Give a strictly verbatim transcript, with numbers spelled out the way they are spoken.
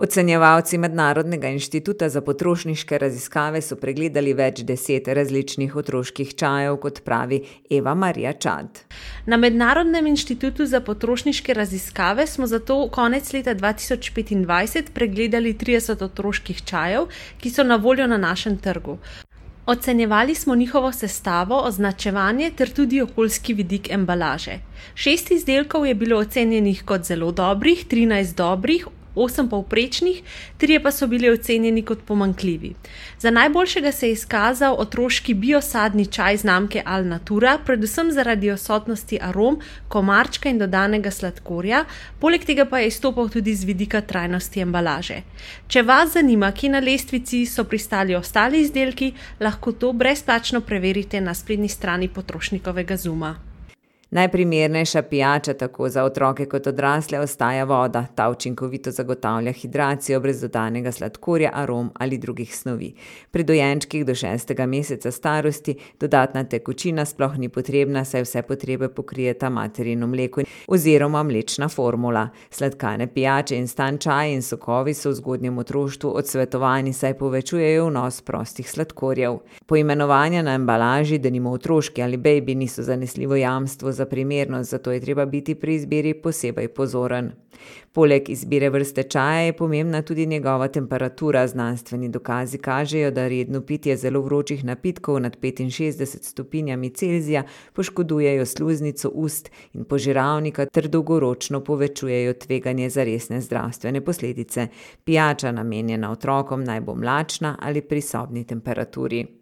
Ocenjevalci Mednarodnega inštituta za potrošniške raziskave so pregledali več deset različnih otroških čajev, kot pravi Eva Marija Čad. Na Mednarodnem inštitutu za potrošniške raziskave smo zato konec leta dva tisoč petindvajset pregledali trideset otroških čajev, ki so na voljo na našem trgu. Ocenjevali smo njihovo sestavo, označevanje ter tudi okoljski vidik embalaže. Šest izdelkov je bilo ocenjenih kot zelo dobrih, trinajst dobrih, osem povprečnih, trije pa so bili ocenjeni kot pomanjkljivi. Za najboljšega se je izkazal otroški biosadni čaj znamke Alnatura, predvsem zaradi odsotnosti arom, komarčka in dodanega sladkorja, poleg tega pa je izstopal tudi z vidika trajnosti embalaže. Če vas zanima, kje na lestvici so pristali ostali izdelki, lahko to brezplačno preverite na spletni strani Potrošnikovega Zuma. Najprimernejša pijača tako za otroke kot odrasle ostaja voda. Ta učinkovito zagotavlja hidracijo brez dodanega sladkorja, arom ali drugih snovi. Pri dojenčkih do šestega meseca starosti dodatna tekočina sploh ni potrebna, saj vse potrebe pokrijeta materino mleko oziroma mlečna formula. Sladkane pijače, instant čaji in sokovi so v zgodnjem otroštvu odsvetovani, saj povečujejo vnos prostih sladkorjev. Poimenovanja na embalaži, denimo otroški ali baby, niso zanesljivo jamstvo za primernost, zato je treba biti pri izbiri posebej pozoren. Poleg izbire vrste čaja je pomembna tudi njegova temperatura. Znanstveni dokazi kažejo, da redno pitje zelo vročih napitkov nad petinšestdeset stopinjami Celzija poškodujejo sluznico ust in požiralnika ter dolgoročno povečujejo tveganje za resne zdravstvene posledice. Pijača, namenjena otrokom, naj bo mlačna ali pri sobni temperaturi.